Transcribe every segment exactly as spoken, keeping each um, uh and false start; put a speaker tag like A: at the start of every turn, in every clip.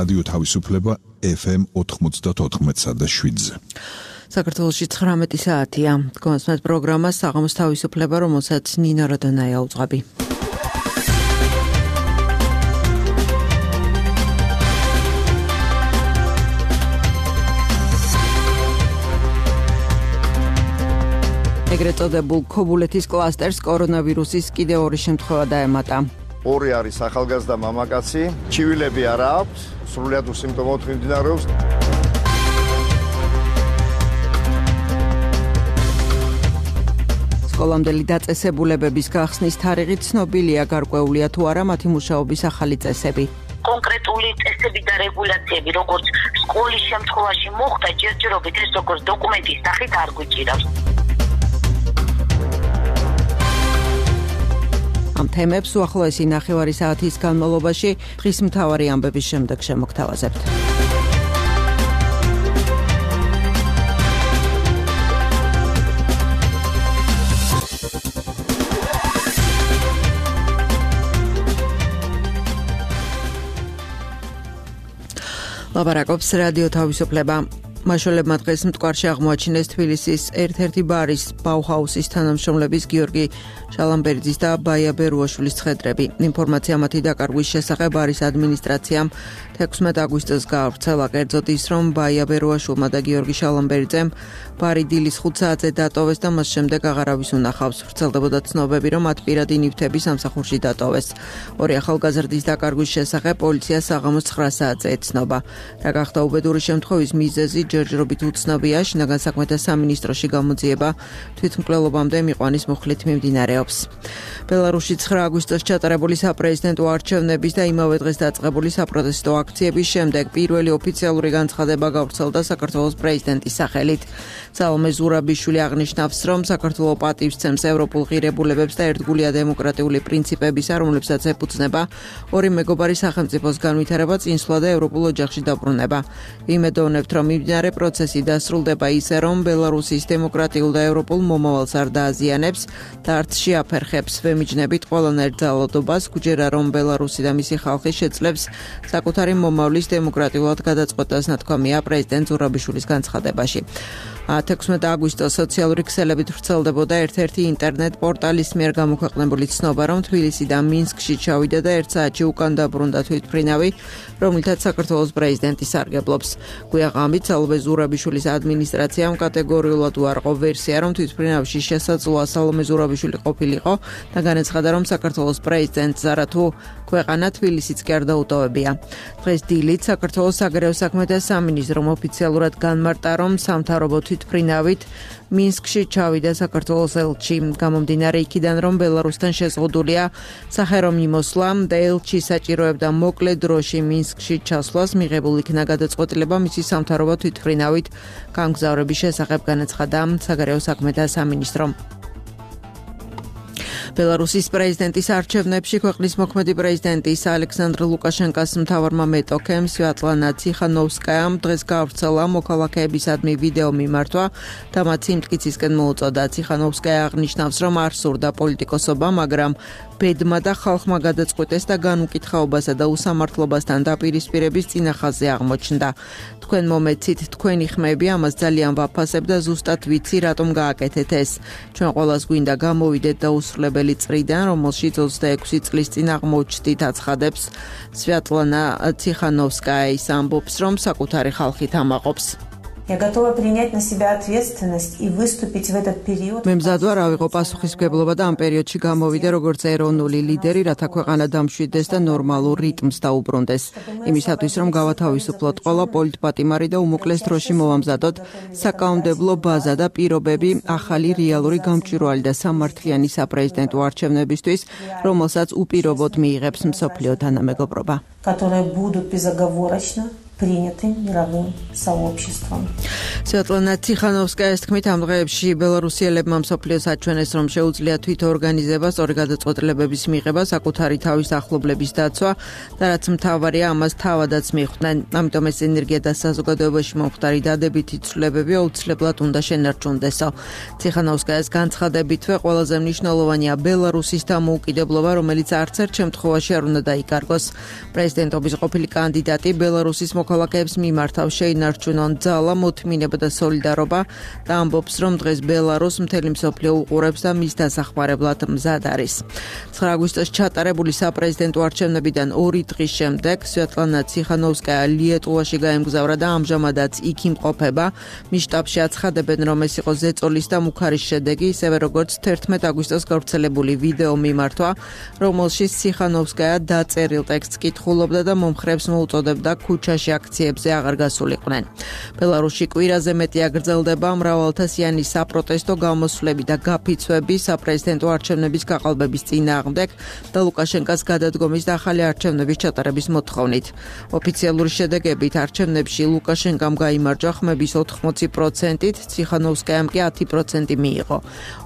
A: რადიო თავისუფლება ეფ ემ ოთხმოცდაოთხ და შვიდზე.
B: საქართველოში ცხრამეტი საათია. გონსმეთ პროგრამა საღამოს თავისუფლება, რომელსაც ნინა როდონაია უძღვები. ეგრეთ წოდებულ ქობულეთის კლასტერს კორონავირუსის კიდევ ორი შემთხვევა დაემატა.
C: ორი არის ახალგაზრდა მამაკაცი, ჩივილები არ აქვს, სრულიად უსიმპტომოდ მიმდინარეობს.
B: სკოლამდელი დაწესებულებების გახსნის თარიღი ცნობილია, გარკვეულია თუ არა მათი მუშაობის ახალი წესები.
D: კონკრეტული წესები და რეგულაციები, როგორც სკოლის შემთხვევაში მოხდა, ჯერჯერობით ეს როგორც დოკუმენტის სახით არ გვიჭირავს.
B: ამ თემებს უახლოესი ნახევარი საათის განმავლობაში დღის მთავარი ამბების შემდეგ შემოგთავაზებთ. ლაპარაკობს რადიო თავისუფლება. მაშველებმა დღეს მტკვარში აღმოაჩინეს თბილისის ერთ-ერთი ბარის ბაუჰაუსის თანამშრომლების გიორგი შალამბერძის და ბაია ბერუაშვილის ცხედრები. ინფორმაცია მათი დაკარგვის შესახებ ბარის ადმინისტრაციამ თექვსმეტ აგვისტოს გაავრცელა. კერძოდ ის, რომ ბაია ბერუაშვილმა და გიორგი შალამბერძემ ბარი დილის ხუთ საათზე დატოვეს და მას შემდეგ აღარავის უნახავს. ვრცელდებოდა ცნობები, რომ მათ პირადი ნივთები სამსახურში დატოვეს. ორი ახალგაზრდის დაკარგვის შესახებ პოლიცია საღამოს ცხრა საათზე ეცნობა. რა გახდა უბედური შემთხვევის მიზეზი ჯერჯერობით უცნობია. შინაგან საქმეთა სამინისტროში გამოძიება თვითმკვლელობამდე მიყვანის მუხლით მიმდინარეობს. ბელარუსში ცხრა აგვისტოს ჩატარებული საპრეზიდენტო არჩევნების და იმავე დღეს დაწყებული საპროტესტო აქციების შემდეგ პირველი ოფიციალური განცხადება გავრცელდა საქართველოს პრეზიდენტის სახელით. სალომე ზურაბიშვილი აღნიშნავს, რომ საქართველო პატივს ცემს ევროპულ ღირებულებებს და ერთგულია დემოკრატიული პრინციპებისა, რომლებსაც ეფუძნება ორი მეგობარი სახელმწიფოს განვითარება, წინსვლა და ევროპულ ოჯახში დაბრუნება. ვიმედოვნებთ, რომ მიმდინარე პროცესი დასრულდება ისე, რომ ბელარუსის დემოკრატიულ და ევროპულ მომავალს არ დააზიანებს და არც შეაფერხებს. ვემიჯნებით ყველანაირ ძალადობას, გვჯერა, რომ ბელარუსი და მისი ხალხი შეძლებს საკუთარი მომავლის დემოკრატიულად გადაწყვეტას, ნათქვამია პრეზიდენტ ზურაბიშვილის განცხადებაში. თექვსმეტ აგვისტოს სოციალური ქსელებით ვრცელდებოდა ერთ-ერთი ინტერნეტ პორტალის მიერ გამოქვეყნებული ცნობა, რომ თბილისი და მინსკში ჩავიდა და ერთ საათში უკან დაბრუნდა თვითმფრინავი, რომლითაც საქართველოს პრეზიდენტი სარგებლობს. გვიაღამით სალომე ზურაბიშვილის ადმინისტრაციამ კატეგორიულად უარყო ვერსია, რომ თვითმფრინავში შესაძლოა სალომე ზურაბიშვილი ყოფილიყო და განაცხადა, რომ საქართველოს პრეზიდენტს არათუ ქვეყანა თბილისიც კი არ დაუტოვებია. დღეს დილით საქართველოს საგარეო საქმეთა სამინისტრომ ოფიციალურად განმარტა, რომ სამთავრობო თვითმფრინავით მინსკში ჩავიდა საქართველოს ელჩი. გამომდინარე იქიდან, რომ ბელარუსთან შეზღუდულია სახერო მიმოსვლა და ელჩი საჭიროებდა მოკლე დროში მინსკში ჩასვლას, მიღებულ იქნა გადაწყვეტილება მისი სამთავრობო თვითმფრინავით გამგზავრების შესახებ, განაცხადა საგარეო საქმეთა სამინისტრომ. ბელარუსის პრეზიდენტის არჩევნებში ქვეყნის მოქმედი პრეზიდენტის ალექსანდრ ლუკაშენკას მთავარმა მეტოქემ სვიატლანა ციხანოვსკაიამ დღეს გაავრცელა მოქალაქეებისადმი ვიდეო მიმართვა და მათ სიმტკიცისკენ მოუწოდა. ციხანოვსკაია აღნიშნავს, რომ არ სურდა პოლიტიკოსობა, მაგრამ ბედმა და ხალხმა გადაწყვეტეს და განუკითხაობასა და უსამართლობასთან დაპირისპირების წინახაზე აღმოჩნდა. თქვენ მომეცით, თქვენი ხმები, ამას ძალიან ვაფასებ და ზუსტად ვიცი, რატომ გააკეთეთ ეს. ჩვენ ყველას გვინდა გამოვიდეთ და უსრულებელი წრიდან, რომელშიც ოცდაექვსი წლის წინ აღმოჩნდით, აცხადებს სვიატლანა ციხანოვსკაია. ის ამბობს, რომ საკუთარი ხალხით ამაყობს.
E: Я готова принять на себя ответственность и выступить в этот период.
B: მე მზად ვარ ავიღო პასუხისმგებლობა და ამ პერიოდში გამოვიდე როგორც ეროვნული ლიდერი, რათა ქვეყანა დამშვიდეს და ნორმალურ რიტმს დაუბრუნდეს. იმისათვის, რომ გავათავისუფლოთ ყველა პოლიტპატიმარი და უმოკლეს დროში მოვამზადოთ საკანონმდებლო ბაზა და პირობები ახალი რეალური გამჭვირვალე და სამართლიანი საპრეზიდენტო არჩევნებისთვის, რომელსაც უპირობოდ მიიღებს მსოფლიო თანამეგობრობა.
E: которые будут безоговорочно приняты мировым сообществом.
B: Svetlana Tikhanovskaya-ის თქმით, ამ დღეებში ბელარუსიელებმა მსოფლიოს აჩვენეს, რომ შეუძლია თვითორგანიზება, სწორი გადაწყვეტილებების მიღება, საკუთარი თავის ახლობლების დაცვა და რაც მთავარია, ამას თავადაც მიხვდნენ. ამიტომ ეს ენერგია და საზოგადოებაში მომხდარი დადებითი ცვლილებები აუცილებლად უნდა შენარჩუნდესო. Tikhanovskaya-ის განცხადებითვე ყველაზე მნიშვნელოვანია ბელარუსის დამოუკიდებლობა, რომელიც არც ერთ შემთხვევაში არ უნდა დაიკარგოს. პრეზიდენტობის ყოფილი კანდიდატი ბელარუსის მოქალაქეებს მიმართავ შეინარჩუნონ ძალა, მოთმინება და სოლიდარობა და ამბობს, რომ დღეს ბელარუსს მთელი მსოფლიო უყურებს და მის დასახმარებლად მზად არის. ცხრა აგვისტოს ჩატარებული საპრეზიდენტო არჩევნებიდან ორი დღის შემდეგ Svetlana Tikhanovskaya ლიეტუვაში გაემგზავრა და ამჟამადაც იქ იმყოფება. მის შტაბში აცხადებენ, რომ ეს იყო ზეწოლის და მუქარის შედეგი, ისევე როგორც თერთმეტ აგვისტოს გავრცელებული ვიდეო მიმართვა, რომელშიც Tikhanovskaya დაწერილ ტექსტს კითხულობდა და მომხრეებს მოუწოდებდა ქუჩაში აქციებზე აღარ გასულიყვნენ. ბელარუსში კვირაზე მეტი აგრძელდება მრავალთასიანი საპროტესტო გამოსვლები და გაფიცვები საპრეზიდენტო არჩევნების გაყალბების წინააღმდეგ და ლუკაშენკას გადადგომის და ახალი არჩევნების ჩატარების მოთხოვნით. ოფიციალური შედეგებით არჩევნებში ლუკაშენკამ გაიმარჯვა ხმების ოთხმოცი პროცენტით, Tikhanovskaya-მ კი ათი პროცენტი მიიღო.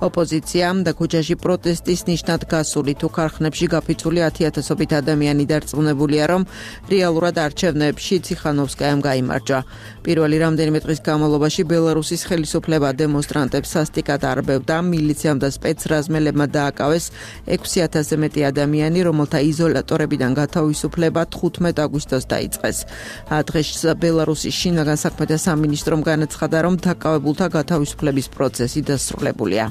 B: ოპოზიციამ და ქუჩაში პროტესტის ნიშნად გასული თუ ქარხნებში გაფიცული ათიათასობით ადამიანი დარწმუნებულია, რომ რეალურად არჩევნებში Tikhanovskaya-მ გაიმარჯვა. პირველი რამდენიმე დღის განმავლობაში ბელარუსის ხელისუფლება დემონსტრანტებს სასტიკად არბევდა, მილიციამ და სპეცრაზმელებმა დააკავეს ექვსი ათასზე მეტი ადამიანი, რომელთა იზოლატორებიდან გათავისუფლება თხუთმეტ აგვისტოს დაიწყეს. დღეს ბელარუსის შინაგან საქმეთა სამინისტრომ განაცხადა, რომ დაკავებულთა გათავისუფლების პროცესი დასრულებულია.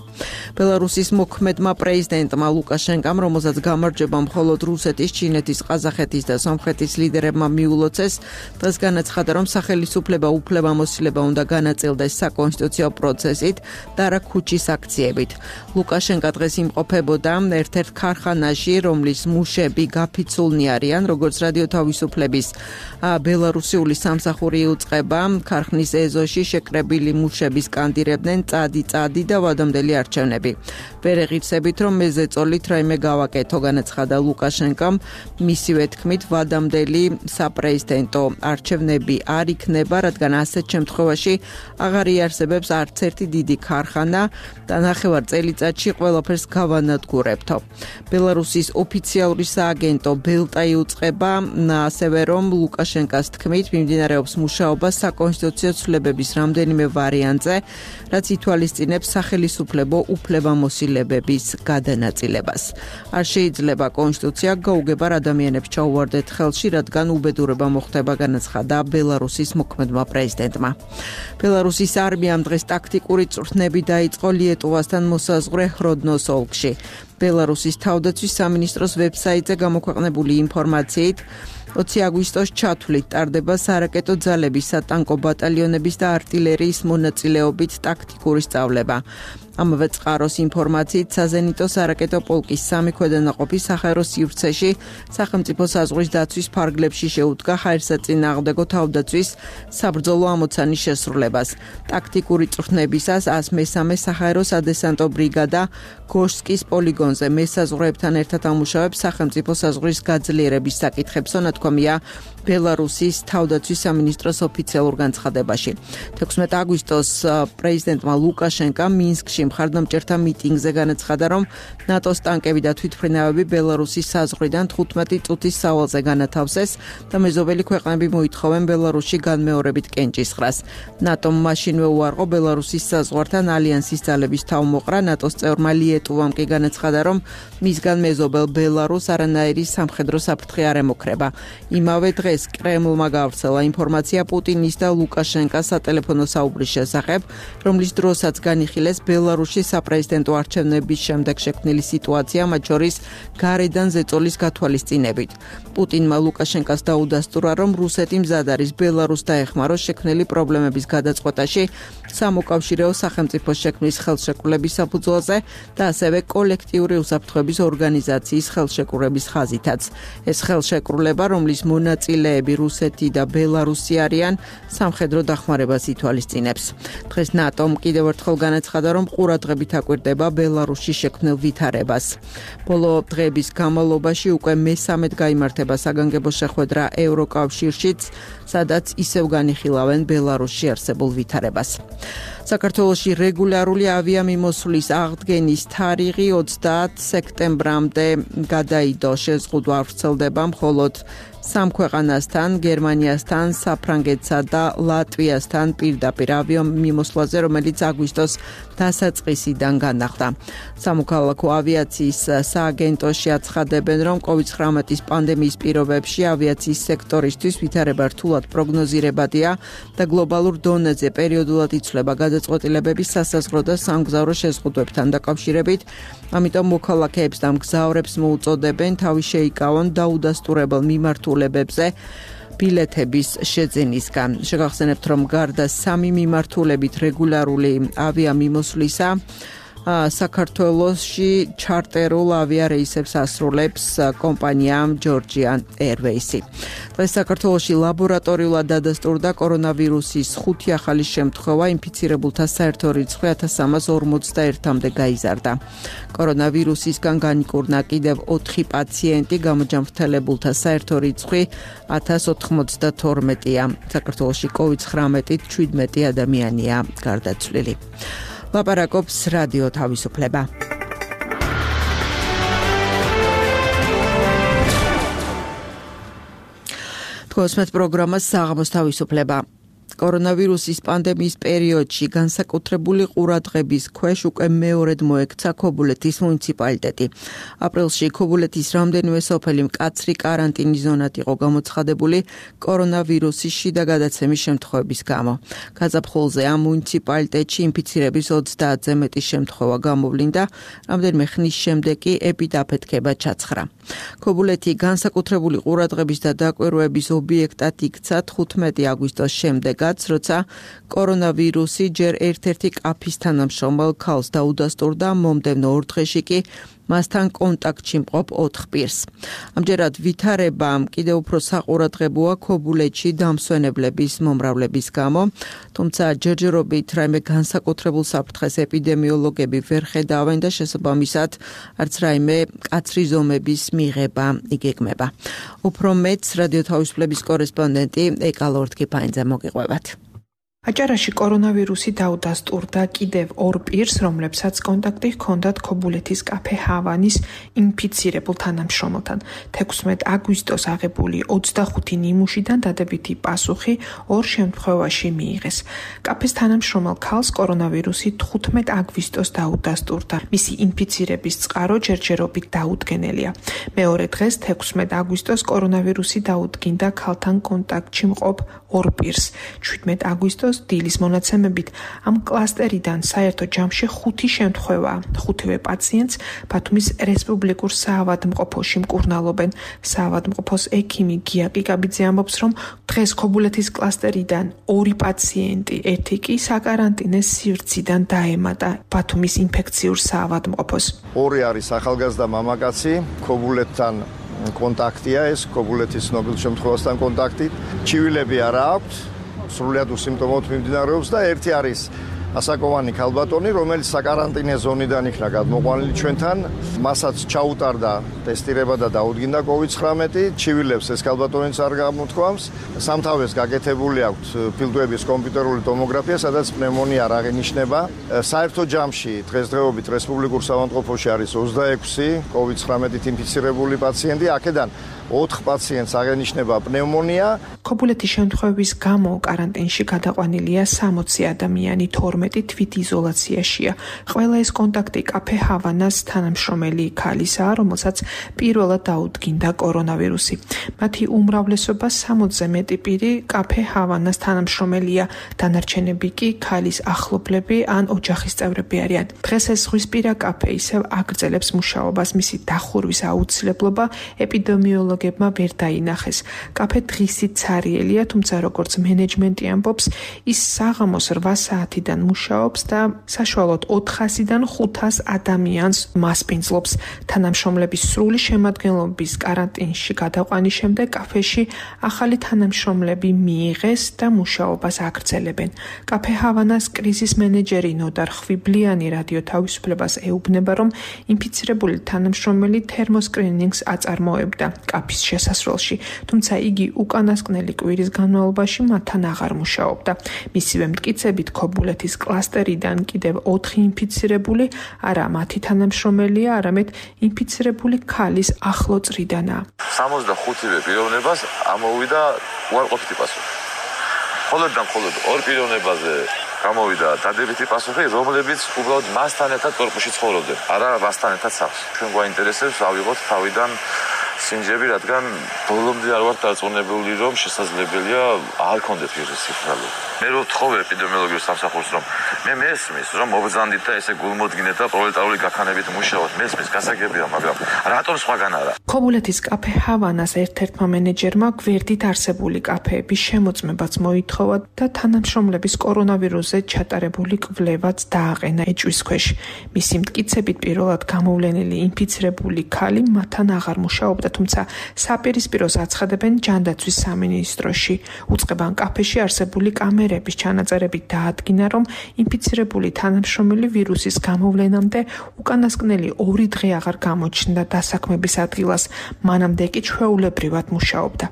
B: ბელარუსის მოქმედმა პრეზიდენტმა ლუკაშენკამ, რომელსაც გამარჯვება მხოლოდ რუსეთის, ჩინეთის, ყაზახეთის და სომხეთის ლიდერებმა მიულოცეს, დღეს განაცხადა, რომ სახელისუფლება უფლებამოსილება უნდა განაწილდეს საკონსტიტუციო პროცესით და არა ქუჩის აქციებით. ლუკაშენკა დღეს იმყოფებოდა ერთ-ერთ ქარხანაში, რომლის მუშები გაფიცულნი არიან, როგორც რადიო თავისუფლების ბელარუსიული სამსახური იუწყება, ქარხნის ეზოში შეკრებილი მუშები სკანდირებდნენ წადი წადი და ვადამდელი არჩევნები. ვერ ეღირსებით, რომ მე ზეწოლით რაიმე გავაკეთო, განაცხადა ლუკაშენკამ. მისივე თქმით, ვადამდელი საპრეზიდენტო არჩევნები არ იქნება, რადგან ასეთ შემთხვევაში აღარ იარსებებს არც ერთი დიდი ქარხანა და ნახევარ წელიწადში ყველაფერს გავანადგურებთო. ბელარუსის ოფიციალური სააგენტო ბელტა იუწყება, ასევე რომ ლუკაშენკას თქმით, მიმდინარეობს მუშაობა საკონსტიტუციო ცვლილებების რამდენიმე ვარიანტზე, რაც ითვალისწინებს სახელისუფლებო უფლებამოსილებების გადანაწილებას. არ შეიძლება კონსტიტუცია გაუგებარ ადამიანებს ჩაუვარდეთ ხელში, რადგან უბედურება მოხდება, განაცხადა ბელარუსის მოქმედმა პრეზიდენტმა. ბელარუსის არმიამ დღეს ტაქტიკური წვრთნები დაიწყო ლიეტუვასთან მოსაზღვრე ხროდნოს ოლქში. ბელარუსის თავდაცვის სამინისტროს ვებსაიტზე გამოქვეყნებული ინფორმაციით, ოცი აგვისტოს ჩათვლით ტარდება სარაკეტო ძალების, სატანკო ბატალიონების და არტილერიის მონაწილეობით ტაქტიკური სწავლება. ამავე წყაროს ინფორმაციით, საზენიტო სარაკეტო პოლკის სამი ქვედანაყოფი საჰაერო სივრცეში სახელმწიფო საზღვრის დაცვის ფარგლებში შეუდგა ჰაერსაწინააღმდეგო თავდაცვის საბრძოლო ამოცანის შესრულებას. ტაქტიკური წვრთნებისას ას მესამე საჰაერო სადესანტო ბრიგადა გოშსკის პოლიგონზე მესაზღვრეებთან ერთად ამუშავებს სახელმწიფო საზღვრის გაძლიერების საკითხებს, თქმია ბელარუსის თავდაცვის სამინისტროს ოფიციალურ განცხადებაში. თექვსმეტი აგვისტოს პრეზიდენტმა ლუკაშენკა მინსკში მხარდამჭერთა მიტინგზე განაცხადა, რომ ნატოს ტანკები და თვითმფრინავები ბელარუსის საზღვრიდან თხუთმეტი წუთის სავალზე განათავსეს და მეზობელი ქვეყნები მოითხოვენ ბელარუსში განმეორებით კენჭისყრას. ნატომ მაშინვე უარყო ბელარუსის საზღვართან ალიანსის ძალების თავმოყრა. ნატოს წევრმა ლიეტუვამ კი განაცხადა, რომ მისგან მეზობელ ბელარუსს არანაირი სამხედრო საფრთხე არ ემუქრება. იმავე დღეს კრემლმა გავრცელა ინფორმაცია პუტინის და ლუკაშენკას სატელეფონო საუბრის შესახებ, რომლის დროსაც განიხილეს ბელარუსის საპრეზიდენტო არჩევნების შემდეგ შექმნილი სიტუაცია, მათ შორის გარედან ზეწოლის გათვალისწინებით. პუტინმა ლუკაშენკას დაუდასტურა, რომ რუსეთი მზად არის ბელარუსს დაეხმაროს შექმნილი პრობლემების გადაწყვეტაში, სამოკავშირეო სახელმწიფოს შექმნის ხელშეკრულების საფუძველზე და ასევე კოლექტიური უსაფრთხოების ორგანიზაციის ხელშეკრულების ხაზითაც. ეს ხელშეკრულება, რომლის მონაწილეები რუსეთი და ბელარუსი არიან, სამხედრო დახმარებას ითვალისწინებს. დღეს ნატომ კიდევ ერთხელ განაცხადა, რომ ყურადღებით აკვირდება ბელარუსში შექმნილ ვითარებას. ბოლო დღეების განმავლობაში უკვე მესამედ გაიმართება საგანგებო შეხვედრა ევროკავშირშიც, სადაც ისევ განიხილავენ ბელარუსში არსებულ ვითარებას. საქართველოში რეგულარული ავიამიმოსვლის აღდგენის თარიღი ოცდაათი სექტემბრამდე გადაიდო. შეზღუდვა არ ვრცელდება მხოლოდ სამ ქვეყანასთან, გერმანიასთან, საფრანგეთსა და ლატვიასთან პირდაპირ ავიამიმოსვლაზე, რომელიც აგვისტოს დასაწყისიდან განახლდა. სამოქალაქო ავიაციის სააგენტოში აცხადებენ, რომ კოვიდ ცხრამეტის პანდემიის პირობებში ავიაციის სექტორისთვის ვითარება რთულად პროგნოზირებადია და გლობალურ დონეზე პერიოდულად იცვლება გადაწყვეტილებების სასაზღვრო და სამგზავრო შეზღუდვებთან დაკავშირებით. ამიტომ მოქალაქეებს და მგზავრებს მოუწოდებენ თავი შეიკავონ დაუდასტურებელ მიმართულებებზე ბილეთების შეძენისგან. შეგახსენებთ, რომ გარდა სამი მიმართულებით რეგულარული ავიამიმოსვლისა, საქართველოში ჩარტერულ ავიარეისებს ასრულებს კომპანია Georgian Airways. დღეს საქართველოში ლაბორატორიულად დადასტურდა კორონავირუსის ხუთი ახალი შემთხვევა, ინფიცირებულთა საერთო რიცხვი ათას სამას ორმოცდაერთამდე გაიზარდა. კორონავირუსისგან განიკურნა კიდევ ოთხი პაციენტი, გამოჯანმრთელებულთა საერთო რიცხვი ათას ოთხმოცდათორმეტია. საქართველოში კოვიდ ცხრამეტით შვიდმეტი ადამიანია გარდაცვლილი. ლაპარაკობს რადიო თავისუფლება. თქოსმეთ პროგრამას საღამოს თავისუფლება. კორონავირუსის პანდემიის პერიოდში განსაკუთრებული ყურადღების ქვეშ უკვე მეორედ მოექცა ქობულეთის მუნიციპალიტეტი. აპრილში ქობულეთის რამდენიმე სოფელი მკაცრი კარანტინის ზონად იყო გამოცხადებული კორონავირუსის შიდა გადაცემის შემთხვევების გამო. გაზაფხულზე ამ მუნიციპალიტეტში ინფიცირების ოცდაათზე მეტი შემთხვევა გამოვლინდა, რამდენიმე ხნის შემდეგ კი ეპიდაფეთქება ჩაცხრა. ქობულეთი განსაკუთრებული ყურადღების და დაკვირვების ობიექტად იქცა თხუთმეტი აგვისტოს შემდეგ, როცა კორონავირუსი ჯერ ერთ-ერთი კაფის თანამშრომელ ქალს დაუდასტურდა, მომდევნო ორ დღეში კი მასთან კონტაქტში მყოფ ოთხ პირს. ამჯერად ვითარება კიდევ უფრო საყურადღებოა ქობულეთში დამსვენებლების მომრავლების გამო, თუმცა ჯერჯერობით რაიმე განსაკუთრებულ საფრთხეს ეპიდემიოლოგები ვერ ხედავენ და შესაბამისად არც რაიმე მკაცრი ზომების მიღება იგეგმება. უფრო მეტს რადიო თავისუფლების კორესპონდენტი ეკა ლორთქიფაინძე მოგიყვებათ.
F: აჭარაში კორონავირუსი დაუდასტურდა კიდევ ორ პირს, რომლებსაც კონტაქტი ჰქონდათ ქობულეთის კაფე ჰავანის ინფიცირებულ თანამშრომელთან. თექვსმეტ აგვისტოს აღებული ოცდახუთი ნიმუშიდან დადებითი პასუხი ორ შემთხვევაში მიიღეს. კაფეს თანამშრომელ ქალს კორონავირუსი თხუთმეტ აგვისტოს დაუდასტურდა. მისი ინფიცირების წყარო ჯერჯერობით დაუდგენელია. მეორე დღეს თექვსმეტ აგვისტოს კორონავირუსი დაუდგინდა ქალთან კონტაქტში მყოფ ორ პირს. შვიდმეტ აგვისტოს დილის მონაცემებით ამ კლასტერიდან საერთო ჯამში ხუთი შემთხვევა. ხუთივე პაციენტს ბათუმის რესპუბლიკურ საავადმყოფოში მკურნალობენ. საავადმყოფოს ექიმი გია ყიკაბიძე ამბობს, რომ დღეს ქობულეთის კლასტერიდან ორი პაციენტი, ერთი კი საკარანტინეს სივრციდან დაემატა ბათუმის ინფექციურ საავადმყოფოს.
C: ორი არის ახალგაზრდა მამაკაცი, ქობულეთთან კონტაქტია ეს, ქობულეთის ცნობილ შემთხვევასთან კონტაქტი. ჩივილები არ აქვს, სრულიად უსიმპტომოდ მიმდინარეობს და ერთი არის ასაკოვანი ქალბატონი, რომელიც საკარანტინე ზონიდან იქნა გადმოყვანილი ჩვენთან, მასაც ჩაუტარდა ტესტირება და დაუდგინდა კოვიდ ცხრამეტი, ჩივილებს ეს ქალბატონიც არ გამოთქვამს, სამთავეს გაკეთებული აქვს ფილტვების კომპიუტერული ტომოგრაფია, სადაც პნევმონია არ აღინიშნება. საერთო ჯამში დღესდღეობით რესპუბლიკურ საავადმყოფოში არის ოცდაექვსი კოვიდ ცხრამეტით ინფიცირებული პაციენტი, აქედან ოთხ პაციენტს აღენიშნება პნევმონია.
F: ქობულეთის შემთხვევების გამო კარანტინში გადაყვანილია სამოცი ადამიანი, თორმეტი თვითიზოლაციაშია. ყველა ეს კონტაქტი კაფე ჰავანას თანამშრომელი ქალისაა, რომელსაც პირველად დაუდგინდა კორონავირუსი. მათი უმრავლესობა სამოცზე მეტი პირი კაფე ჰავანას თანამშრომელია, დანარჩენები კი ქალის ახლობლები ან ოჯახის წევრები არიან. დღეს ეს ზღვისპირა კაფე ისევ აგრძელებს მუშაობას, მისი დახურვის აუცილებლობა ეპიდემიოლოგებმა ვერ დაინახეს. კაფე დღისით ცარიელია, თუმცა როგორც მენეჯმენტი ამბობს, ის საღამოს რვა საათიდან მუშაობს და საშუალოდ ოთხასიდან ხუთას ადამიანს მასპინძლობს. თანამშრომლების სრული შემადგენლობის კარანტინში გადაყვანის შემდეგ კაფეში ახალი თანამშრომლები მიიღეს და მუშაობას აგრძელებენ. კაფე ჰავანას კრიზის მენეჯერი ნოდარ ხვიბლიანი რადიო თავისუფლებას ეუბნება, რომ ინფიცირებული თანამშრომელი თერმოსკრინინგს აწარმოებდა კაფის შესასრულში, თუმცა იგი უკანასკნელი კვირის განმავლობაში მათთან აღარ მუშაობდა. მისივე მტკიცებით, ქობულეთის კლასტერიდან კიდევ ოთხი ინფიცირებული არა მათი თანამშრომელია, არამედ ინფიცირებული ქალის ახლო წრიდანაა.
G: სამოცდახუთივე პიროვნებას ამოვიდა უარყოფითი პასუხი. მხოლოდ და მხოლოდ ორ პიროვნებაზე გამოვიდა დადებითი პასუხი, რომლებიც უბრალოდ მასთან ერთად კორპუსში ცხოვრობდნენ, არა მასთან ერთად სახლში. ჩვენ გვაინტერესებს ავიღოთ თავიდან სინჯები, რადგან ბოლომდე არ ვარ დარწმუნებული, რომ შესაძლებელია არ კონდეთ ვირუსის სიფრალო. მე რო ვთხოვე ეპიდემიოლოგიურ სამსახურს, რომ მე მესმის, რომ მობრძანდით და ესე გულმოდგინეთ და პროლეტარული გაქანებით მუშაობთ, მესმის, გასაგებია, მაგრამ რატომ სხვაგან არა?
F: ქობულეთის კაფე ჰავანას ერთ-ერთმა მენეჯერმა გვერდით არსებული კაფეების შემოწმებაც მოითხოვა და თანამშრომლების კორონავირუსზე ჩატარებული კვლევაც დააყენა ეჭვის ქვეშ. მისი მტკიცებით, პირველად გამოვლენილი ინფიცირებული ქალი მათთან აღარ მუშაობდა, თუმცა საპირისპიროს აცხადებენ ჯანდაცვის სამინისტროში. უწყებან კაფეში არსებული კამერების ჩანაწერებით დაადგინა, რომ ინფიცირებული თანამშრომელი ვირუსის გამოვლენამდე უკანასკნელი ორი დღე აღარ გამოჩნდა დასაქმების ადგილას, მანამდე კი ჩვეულებრივად მუშაობდა.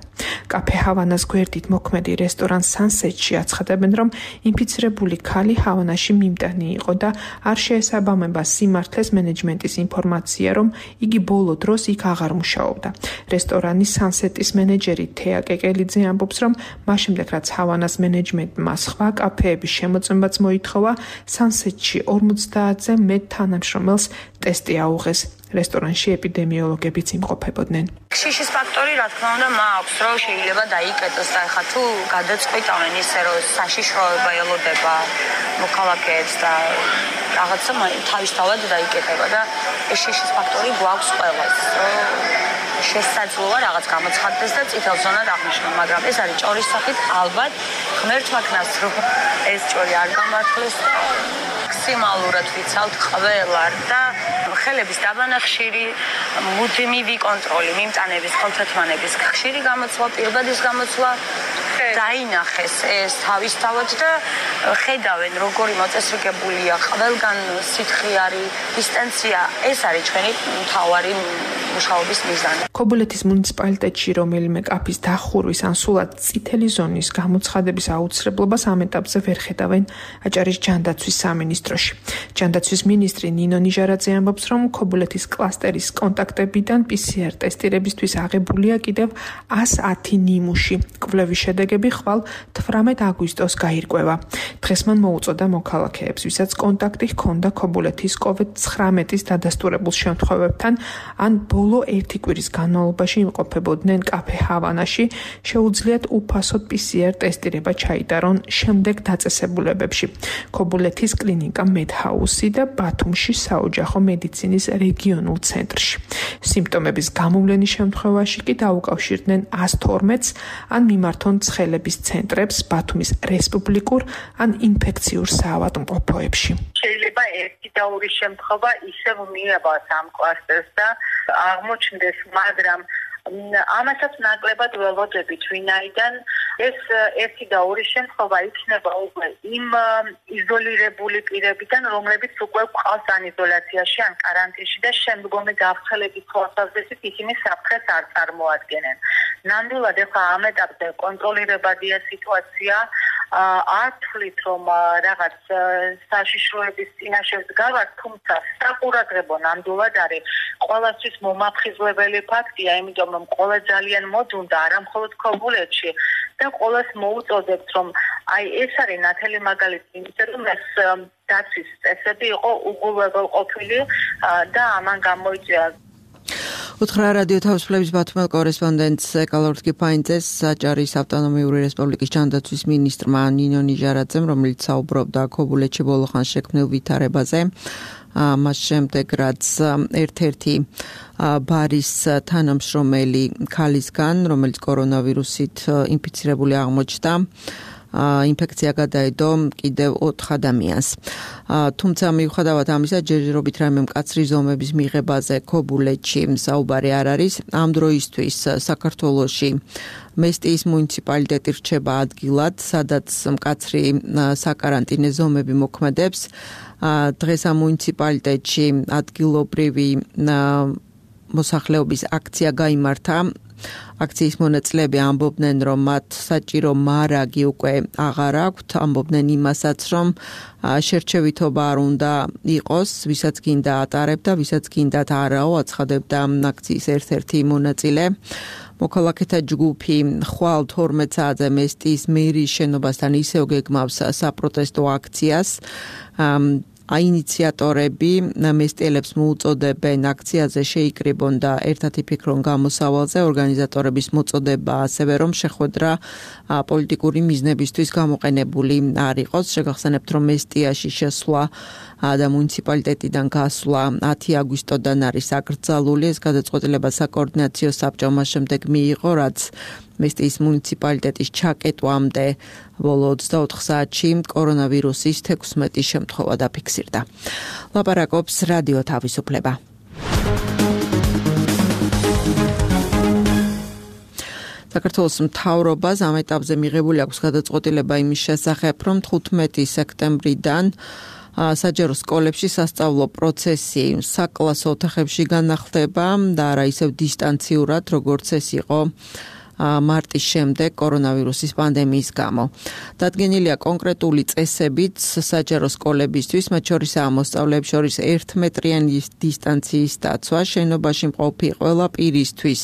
F: კაფე ჰავანას გვერდით მოქმედი რესტორან სანსეტში აცხადებენ, რომ ინფიცირებული ქალი ჰავანაში მიმტანი იყო და არ შეესაბამება სიმართლეს მენეჯმენტის ინფორმაცია, რომ იგი ბოლო დროს იქ აღარ მუშაობდა. რესტორანის სანსეტის მენეჯერი თეა კეკელიძე ამბობს, რომ მაშინდელ რაც ჰავანას მენეჯმენტმა სხვა კაფეების შემოწმებაც მოითხოვა, სანსეტში ორმოცდაათზე მეტ თანამშრომელს ტესტი აუღეს. რესტორანში ეპიდემიოლოგებიც იმყოფებოდნენ.
H: შიშის ფაქტორი, რა თქმა უნდა, მაქვს, რომ შეიძლება დაიკეტოს და ხა თუ გადაწყვიტავენ ისე, რომ საშიშროება ელოდება მოქალაქეებს და რაღაცა თავისთავად დაიკეტება და ეს შიშის ფაქტორი გვაქვს ყველას, რომ შესაძლოა რაღაც გამოცხადდეს და წითელ ზონად აღნიშნოს, მაგრამ ეს არის ჭორის სახით, ალბათ ღმერთმა ქნას, რომ ეს ჭორი არ გამართლეს და მაქსიმალურად ვიცავთ ყველარ და ხელების დაბანახშირი, მუდმივი კონტროლი, მიმტანების, ხელთათმანების ხშირი გამოცვლა, პირბადის გამოცვლა დაინახეს ეს თავისთავად და ხედავენ როგორი მოწესრიგებულია ყველგან სითხიარი, დისტანცია, ეს არის ჩვენი მთავარი მუშაობის მიზანი.
F: ქობულეთის მუნიციპალიტეტში რომელიმე კაფის დახურვის ან სულად წითელი ზონის გამოცხადების აუცილებლობას ამ ეტაპზე ვერ ხედავენ აჭარის ჯანდაცვის სამინისტროში. ჯანდაცვის მინისტრი ნინო ნიჟარაძე ამბობს, რომ ქობულეთის კლასტერის კონტაქტებიდან პი სი არ ტესტირებისთვის აღებულია კიდევ ასი ათი ნიმუში. კვლევის შედეგები ხვალ თვრამეტ აგვისტოს გაირკვევა. დღეს მან მოუწოდა მოქალაქეებს, ვისაც კონტაქტი ჰქონდა ქობულეთის კოვიდ ცხრამეტის დადასტურებულ შემთხვევებთან, ან ბოლო ერთი კვირის განმავლობაში იმყოფებოდნენ კაფე ჰავანაში, შეუძლიათ უფასოდ პი სი არ ტესტირება ჩაიტარონ შემდეგ დაწესებულებებში. ქობულეთის კლინიკა მედჰაუსი და ბათუმში საოჯახო მედიცინის რეგიონულ ცენტრში. სიმპტომების გამოვლენის შემთხვევაში კი დაუკავშირდნენ ას თორმეტს ან მიმართონ ცხელების ცენტრებს ბათუმის რესპუბლიკურ ან ინფექციურ საავადმყოფოებში.
I: შეიძლება ერთი და ორი შემთხვევა ისევ მიაბას ამ კლასტერს და აღმოჩნდეს, მაგრამ ამასაც ნაკლებად ველოდებით, ვინაიდან ეს ერთი და ორი შემთხვევა იქნება უკვე იმ იზოლირებული პირებიდან, რომლებიც უკვე ყავს ან იზოლაციაში, ან კარანტინში და შემდგომი გავრცელების თვალსაზრისით ისინი საფრთხეს არ წარმოადგენენ. ნამდვილად ახლა ამ ეტაპზე კონტროლირებადია სიტუაცია, არ თვლით, რომ რაღაც საშიშროების წინაშე ვდგავართ, თუმცა საყურადღებო ნამდვილად არის ყველასთვის მომაფხიზლებელი ფაქტია, იმიტომ რომ ყველა ძალიან მოდუნდა, არა მხოლოდ ქობულეთში და ყველას მოუწოდებთ, რომ აი ეს არის ნათელი მაგალითი, იმიტომ რომ ეს დაცვის წესები იყო უგულებელყოფილი და ამან გამოიწვია.
B: უთხრა რადიო თავისუფლების ბათუმელ კორესპონდენტს ეკალორდ კიფაინძეს აჭარის ავტონომიური რესპუბლიკის ჯანდაცვის მინისტრმა ნინო ნიჟარაძემ, რომელიც საუბრობდა ქობულეთში ბოლო ხანს შექმნილ ვითარებაზე. მას შემდეგ რაც ერთ-ერთი ბარის თანამშრომელი ქალისგან, რომელიც კორონავირუსით ინფიცირებული აღმოჩნდა, ინფექცია გადაედო კიდევ ოთხ ადამიანს. თუმცა მიუხედავად ამისა, ჯერჯერობით რაიმე მკაცრი ზომების მიღებაზე ქობულეთში საუბარი არ არის. ამ დროისთვის საქართველოში მესტიის მუნიციპალიტეტი რჩება ადგილად, სადაც მკაცრი საკარანტინე ზომები მოქმედებს. დღეს ამ მუნიციპალიტეტში ადგილობრივი მოსახლეობის აქცია გაიმართა. აქციის მონაწილეები ამბობდნენ, რომ მათ საჭირო მარაგი უკვე აღარ აქვთ, ამბობდნენ იმასაც, რომ შერჩევითობა არ უნდა იყოს, ვისაც გინდა ატარებდა, ვისაც გინდათ არაო, აცხადებდა აქციის ერთ-ერთი მონაწილე. მოქალაქეთა ჯგუფი ხვალ თორმეტ საათზე მესტიის მერიის შენობასთან ისევ გეგმავს საპროტესტო აქციას. აინიციატორები მესტიელებს მოუწოდებენ აქციაზე შეიკრიბონ და ერთად იფიქრონ გამოსავალზე. ორგანიზატორების მოწოდება ასევე რომ შეხვედრა პოლიტიკური მიზნებისთვის გამოყენებული არ იყოს. შეგახსენებთ, რომ მესტიაში შესვლა და მუნიციპალიტეტიდან გასვლა ათი აგვისტოდან არის აკრძალული. ეს გადაწყვეტილება საკოორდინაციო საბჭომ შემდეგ მიიღო, რაც მესტიის მუნიციპალიტეტის ჩაკეტვამდე ბოლო ოცდაოთხ საათში კორონავირუსის თექვსმეტი შემთხვევა დაფიქსირდა. ლაპარაკობს რადიო თავისუფლება. საქართველოს მთავრობას ამ ეტაპზე მიღებული აქვს გადაწყვეტილება იმის შესახებ, რომ თხუთმეტი სექტემბრიდან საჯარო სკოლებში სასწავლო პროცესი საკლასო ოთახებში განახლდება და არა ისევ დისტანციურად, როგორც ეს იყო მარტის შემდეგ კორონავირუსის პანდემიის გამო. დადგენილია კონკრეტული წესებიც საჯარო სკოლებისთვის, მათ შორისაა მოსწავლეებს შორის ერთმეტრიანი დისტანციის დაცვა, შენობაში მყოფი ყველა პირისთვის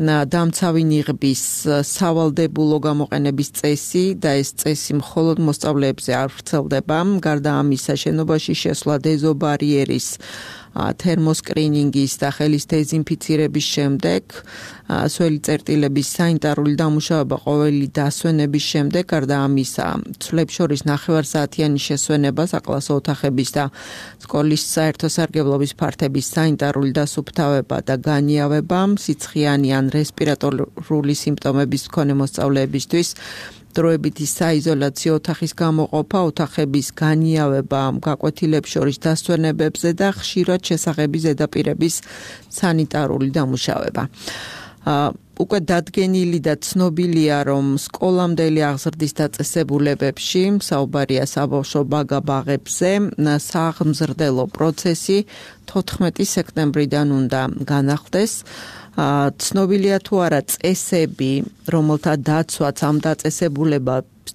B: დამცავი ნიღბის სავალდებულო გამოყენების წესი და ეს წესი მხოლოდ მოსწავლეებზე არ ვრცელდება. გარდა ამისა, შენობაში შესვლა დეზობარიერის თერმოსკრინინგის და ხელის დეზინფიცირების შემდეგ, სველი წერტილების საინტარული დამუშავება ყოველი დასვენების შემდეგ, გარდა ამისა, ცვლებს შორის ნახევარსაათიანი შესვენება საკლასო ოთახების და სკოლის საერთო სარგებლობის ფართების საინტარული დასუფთავება და განიავება, სიცხიანი ან რესპირატორული სიმპტომების მქონე მოსწავლეებისთვის დროებითი საიზოლაციო ოთახის გამოყოფა, ოთახების განიავება გაკვეთილებს შორის დასვენებებზე და ხშირად შესახები ზედაპირების სანიტარული დამუშავება. უკვე დადგენილი და ცნობილია, რომ სკოლამდელი აღზრდის დაწესებულებებში, საუბარია საბავშვო ბაგა-ბაღებზე, სააღმზრდელო პროცესი თოთხმეტი სექტემბრიდან უნდა განახლდეს. ცნობილია თუ არა წესები, რომელთა დაცვაც ამ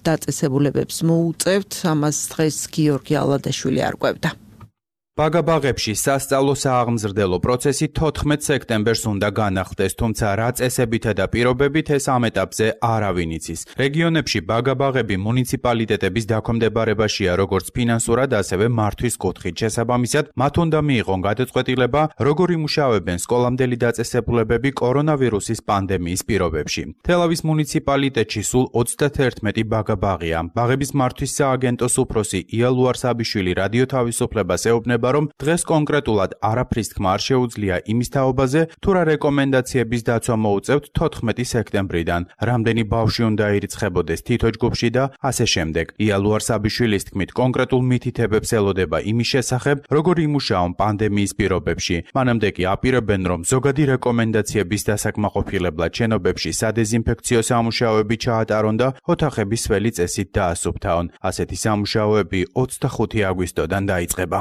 B: დაწესებულებებს მოუწევთ, ამას დღეს გიორგი ალადაშვილი არკვევდა.
J: ბაგა-ბაღებში სასწავლო სააღმზრდელო პროცესი თოთხმეტ სექტემბერს უნდა განახლდეს, თუმცა რა წესებითა და პირობებით ეს ამ ეტაპზე არავინ იცის. რეგიონებში ბაგა-ბაღები მუნიციპალიტეტების დაქვემდებარებაშია როგორც ფინანსურად, ასევე მართვის კუთხით. შესაბამისად, მათ უნდა მიიღონ გადაწყვეტილება, როგორ იმუშავებენ სკოლამდელი დაწესებულებები კორონავირუსის პანდემიის პირობებში. თელავის მუნიციპალიტეტში სულ ოცდაათერთმეტი ბაგა-ბაღია. ბაღების მართვის სააგენტოს უფროსი იალუარ საბიშვილი რადიო თავისუფლებას ეუბნება, რომ დღეს კონკრეტულად არაფრის თქმა არ შეუძლია იმის თაობაზე, თუ რა რეკომენდაციების დაცვა მოუწევთ თოთხმეტი სექტემბრიდან, რამდენი ბავშვი უნდა ირიცხებოდეს თითო ჯგუფში და ასე შემდეგ. იალუარ საბიშვილის თქმით, კონკრეტულ მითითებებს ელოდება იმის შესახებ, როგორ იმუშაონ პანდემიის პირობებში. მანამდე კი აპირებენ, რომ ზოგადი რეკომენდაციების დასაკმაყოფილებლად შენობებში სადეზინფექციო სამუშაოები ჩაატარონ და ოთახების სველი წესით დაასუფთავონ. ასეთი სამუშაოები ოცდახუთი აგვისტოდან დაიწყება.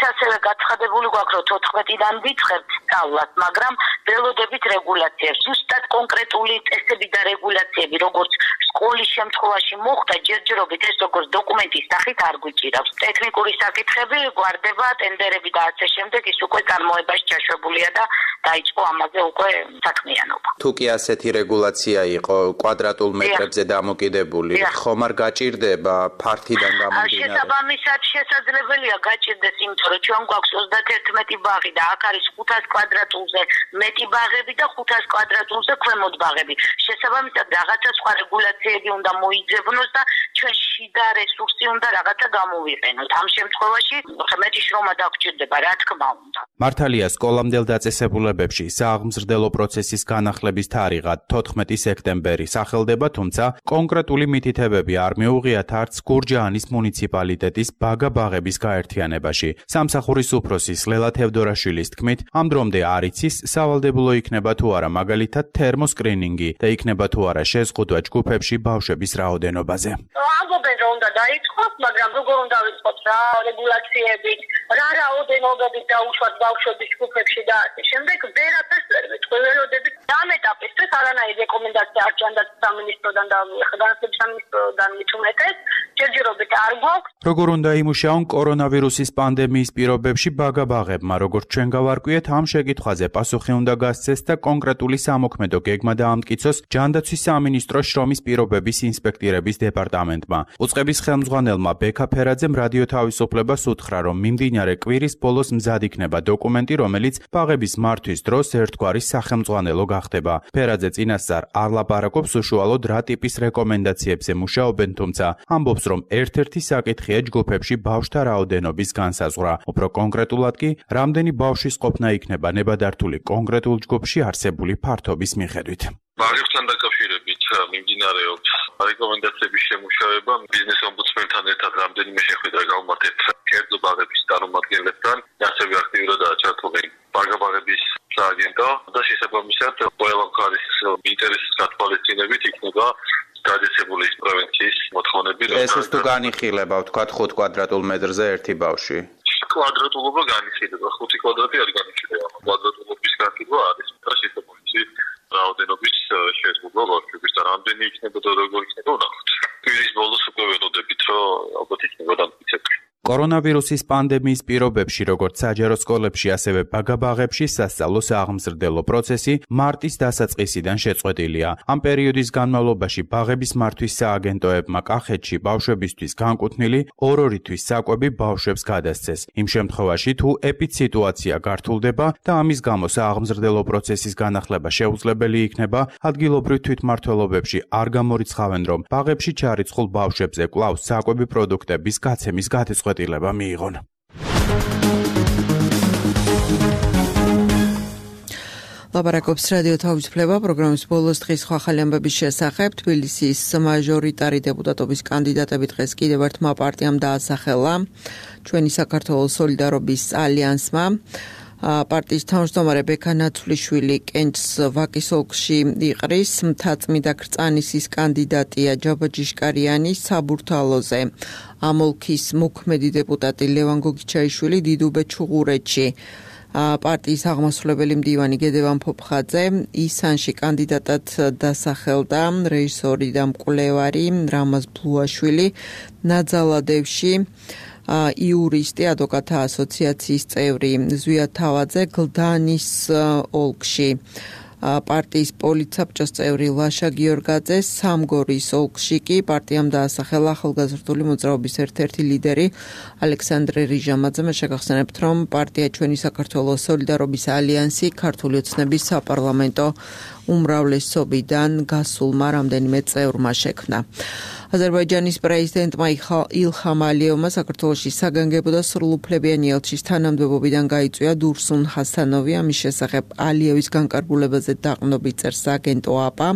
D: ასევე გაცხადებული გვაქვს, რომ თოთხმეტიდან ვიწყებთ სწავლას, მაგრამ ველოდებით რეგულაციებს. ზუსტად კონკრეტული წესები და რეგულაციები, როგორც სკოლის შემთხვევაში მოხდა, ჯერჯერობით ეს როგორც დოკუმენტის სახით არ გვიჭირავს. ტექნიკური საკითხები გვარდება, ტენდერები და ასე შემდეგ, ის უკვე წარმოებაში ჩაშვებულია და დაიწყო ამაზე უკვე საქმიანობა.
K: თუ კი ასეთი რეგულაცია იყო კვადრატულ მეტრებზე დამოკიდებული, ხომ არ გაჭირდება ფართიდან გამომდინარე?
D: შესაბამისად შესაძლებელია გაჭირდეს, იმიტომ რომ ჩვენ გვაქვს ოცდაათერთმეტი ბაღი და აქ არის ხუთას კვადრატულზე მეტი ბაღები და ხუთას კვადრატულზე ქვემოთ ბაღები. შესაბამისად რაღაცა სხვა რეგულაციები უნდა მოიძებნოს და ჩვენ შიდა რესურსი უნდა რაღაცა გამოვიყენოთ. ამ შემთხვევაში მეტი შრომა დაგჭირდება, რა თქმა უნდა.
J: მართალია სკოლამდელ დაწესებულებებში ხელისუფლებებში სააღმზრდელო პროცესის განახლების თარიღა თოთხმეტი სექტემბერი სახელდება, თუმცა კონკრეტული მითითებები არ მიუღიათ არც გურჯაანის მუნიციპალიტეტის ბაგა-ბაღების გაერთიანებაში. სამსახურის უფროსის ლელა თევდორაშვილის თქმით, ამ დრომდე არ იცის სავალდებულო იქნება თუ არა მაგალითად თერმოსკრინინგი და იქნება თუ არა შეზღუდვა ჯგუფებში ბავშვების რაოდენობაზე.
L: ამბობენ რომ უნდა დაიწყოს, მაგრამ როგორ უნდა ვიწყოთ რა რეგულაციებით, რა რაოდენობებით დაუშვათ ბავშვების ჯგუფებში და ასე შემდეგ, ვერაფერს ვერ ვიტყვი, ველოდებით ამ ეტაპისთვის არანაირი რეკომენდაცია არ ჭანდა სამინისტროდან და განათლების სამინისტროდან მithumetes, ჯერჯერობით არ გვაქვს.
J: როგორ უნდა იმუშაონ კორონავირუსის პანდემიის პირობებში ბაგა-ბაღებმა, როგორც ჩვენ გავარკვიეთ, ამ შეკითხვაზე პასუხი უნდა გასცეს და კონკრეტული სამოქმედო გეგმა დაამტკიცოს ჯანდაცვის სამინისტროს შრომის პირობების ინსპექტირების დეპარტამენტმა. უწყების ხელმძღვანელმა ბექა ფერაძემ რადიო თავისუფლებას უთხრა, რომ მიმდინარე კვირის ბოლოს მზად იქნება დოკუმენტი, რომელიც ბაღების მართვის დროს ერთგვარი სახელმძღვანელო გახდება. ფერაძე წინასწარ არ ლაპარაკობს უშუალოდ რა ტიპის რეკომენდაციებზე მუშაობენ, თუმცა ამბობს, რომ ერთ-ერთი საკითხია ჯგუფებში ბავშვთა რაოდენობის განსაზღვრა. უფრო კონკრეტულად კი, რამდენი ბავშვის ყოფნა იქნება ნებადართული კონკრეტულ ჯგუფში არსებული ფართობის მიხედვით.
M: ბაღებთან დაკავშირებით მიმდინარეობს რეკომენდაციების შემუშავება. ბიზნეს ომბუდსმენთან ერთად რამდენიმე შეხვედრა გავმართეთ კერძო ბაღების წარმომადგენლებთან, ასევე აქტიურადაა ჩართული ბაგა-ბაღების სააგენტო და შესაბამისად ყველა მხარის ინტერესის გათვალისწინებით იქნება გადაცებული პროვინციის მოთხოვნები.
K: ეს ის თუ განიხილება, ვთქვათ, ხუთ კვადრატულ მეტრზე ერთი ბავშვი.
M: კვადრატულობა განიხილება, ხუთი კვადრატი არ განიხილება. კვადრატულობის განხილვა არის შესაბამისი რაოდენობის შეზღუდვა ბავშვების და რამდენი იქნება და როგორ იქნება ვნახოთ. კვირის ბოლოს უკვე ველოდებით, რომ ალბათ იქნება დამტკიცებული.
J: კორონავირუსის პანდემიის პირობებში, როგორც საჯარო სკოლებში, ასევე ბაგა-ბაღებში სასწავლო სააღმზრდელო პროცესი მარტის დასაწყისიდან შეწყვეტილია. ამ პერიოდის განმავლობაში ბაღების მართვის სააგენტოებმა კახეთში ბავშვებისთვის განკუთვნილი ორ-ორი თვის საკვები ბავშვებს გადასცეს. იმ შემთხვევაში, თუ ეპიდსიტუაცია გართულდება და ამის გამო სააღმზრდელო პროცესის განახლება შეუძლებელი იქნება, ადგილობრივ თვითმმართველობებში არ გამორიცხავენ, რომ ბაღებში ჩარიცხულ ბავშვებზე კვლავ საკვები პროდუქტების გაცემის გადაწყვეტილება მიიღონ.
B: ლაპარაკობს რადიო თავისუფლება პროგრამის ბოლოს დღის ახალი ამბების შესახებ. თბილისის მაჟორიტარი დეპუტატობის კანდიდატები დღეს კიდევ ერთმა პარტიამ დაასახელა. ჩვენი საქართველოს სოლიდარობის ალიანსმა. პარტიის თავმჯდომარე ბექა ნაცვლიშვილი კენჭს ვაკის ოლქში იყრის. მთაწმიდა ქრწანისის კანდიდატია ჯაბაჯიშკარიანი საბურთალოზე. ამ ოლქის მოქმედი დეპუტატი ლევან გოგიჩაიშვილი დიდუბე ჩუღურეთში. პარტიის აღმასრულებელი მდივანი გედევან ფოფხაძე ისანში კანდიდატად დასახელდა რეჟისორი და მკვლევარი რამაზ ბლუაშვილი. ნაძალადევში იურისტი ადვოკატთა ასოციაციის წევრი ზვია თავაძე გლდანის ოლქში. პარტიის პოლიცაბჭოს წევრი ლაშა გიორგაძე სამგორის ოლქში კი პარტიამ დაასახელა ახალგაზრდული მოძრაობის ერთ-ერთი ლიდერი ალექსანდრე რიჟამაძე. მე შეგახსენებთ, რომ პარტია ჩვენი საქართველოს სოლიდარობის ალიანსი ქართული ოცნების საპარლამენტო უმრავლესობიდან გასულმა რამდენიმე წევრმა შექმნა. აზერბაიჯანის პრეზიდენტმა ილჰამ ალიევმა საქართველოში საგანგებო და სრულუფლებიანი ელჩის თანამდებობიდან გაიწვია დურსუნ ჰასანოვი. ამის შესახებ ალიევის განკარგულებაზე დაყრდნობით წერს აგენტო აპა.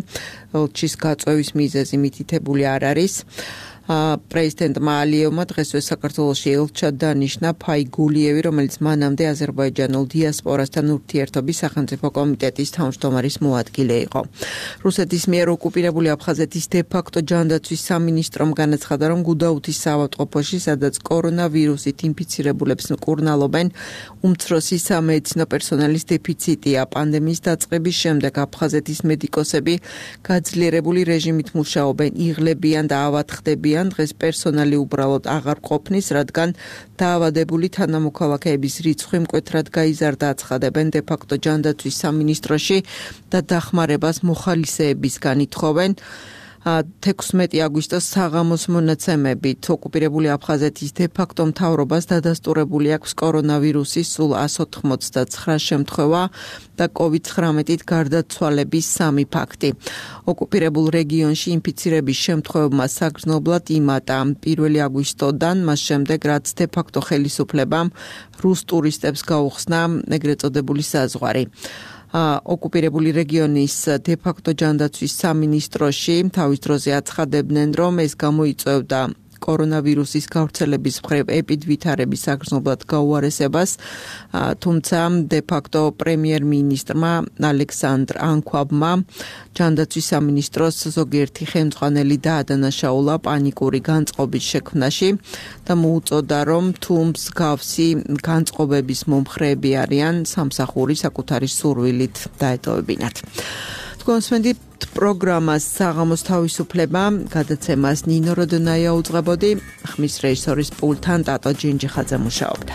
B: ელჩის გაწვევის მიზეზი მითითებული არ არის. პრეზიდენტმა ალიევმა დღესვე საქართველოში ელჩად დანიშნა ფაი გულიევი, რომელიც მანამდე აზერბაიჯანულ დიასპორასთან ურთიერთობის სახელმწიფო კომიტეტის თავმჯდომარის მოადგილე იყო. რუსეთის მიერ ოკუპირებული აფხაზეთის დე-ფაქტო ჯანდაცვის სამინისტრომ განაცხადა, რომ გუდაუთის საავადმყოფოში, სადაც კორონავირუსით ინფიცირებულებს მკურნალობენ, უმცროსი სამედიცინო პერსონალის დეფიციტია. პანდემიის დაწყების შემდეგ აფხაზეთის მედიკოსები გაძლიერებული რეჟიმით მუშაობენ, იღლებიან და ავათხდებიან. დღეს პერსონალი უბრალოდ აღარ ყოფნის, რადგან დაავადებული თანამოქალაქეების რიცხვი მკვეთრად გაიზარდა. აცხადებენ დე-ფაქტო ჯანდაცვის სამინისტროში და დახმარებას მოხალისეებისგან ითხოვენ. თექვსმეტი აგვისტოს საღამოს მონაცემებით ოკუპირებული აფხაზეთის დე-ფაქტო მთავრობას დადასტურებული აქვს კორონავირუსის სულ εκατს ოთხმოცდაცხრა შემთხვევა და კოვიდ ცხრამეტით გარდაცვალების სამი ფაქტი. ოკუპირებულ რეგიონში ინფიცირების შემთხვევებმა საგრძნობლად იმატა პირველი აგვისტოდან, მას შემდეგ რაც დე-ფაქტო ხელისუფლებამ რუს ტურისტებს გაუხსნა ეგრეთ წოდებული საზღვარი. ოკუპირებული რეგიონის დე-ფაქტო ჯანდაცვის სამინისტროში თავის დროზე აცხადებდნენ, რომ ეს გამოიწვევდა კორონავირუსის გავრცელების მხრივ ეპიდვითარების საგრძნობლად გაუარესებას, თუმცა დე-ფაქტო პრემიერ-მინისტრმა ალექსანდრ ანქვაბმა ჯანდაცვის სამინისტროს ზოგიერთი ხელმძღვანელი დაადანაშაულა პანიკური განწყობის შექმნაში და მოუწოდა, რომ თუ მსგავსი განწყობების მომხრეები არიან, სამსახური საკუთარი სურვილით დაეტოვებინათ. კონსვენდით პროგრამას საღამოს თავისუფლება გადაცემას ნინო როდონაია უძღვებოდი, ხმის რეჟისორის პულტთან ტატო ჯინჯიხაძე მუშაობდა.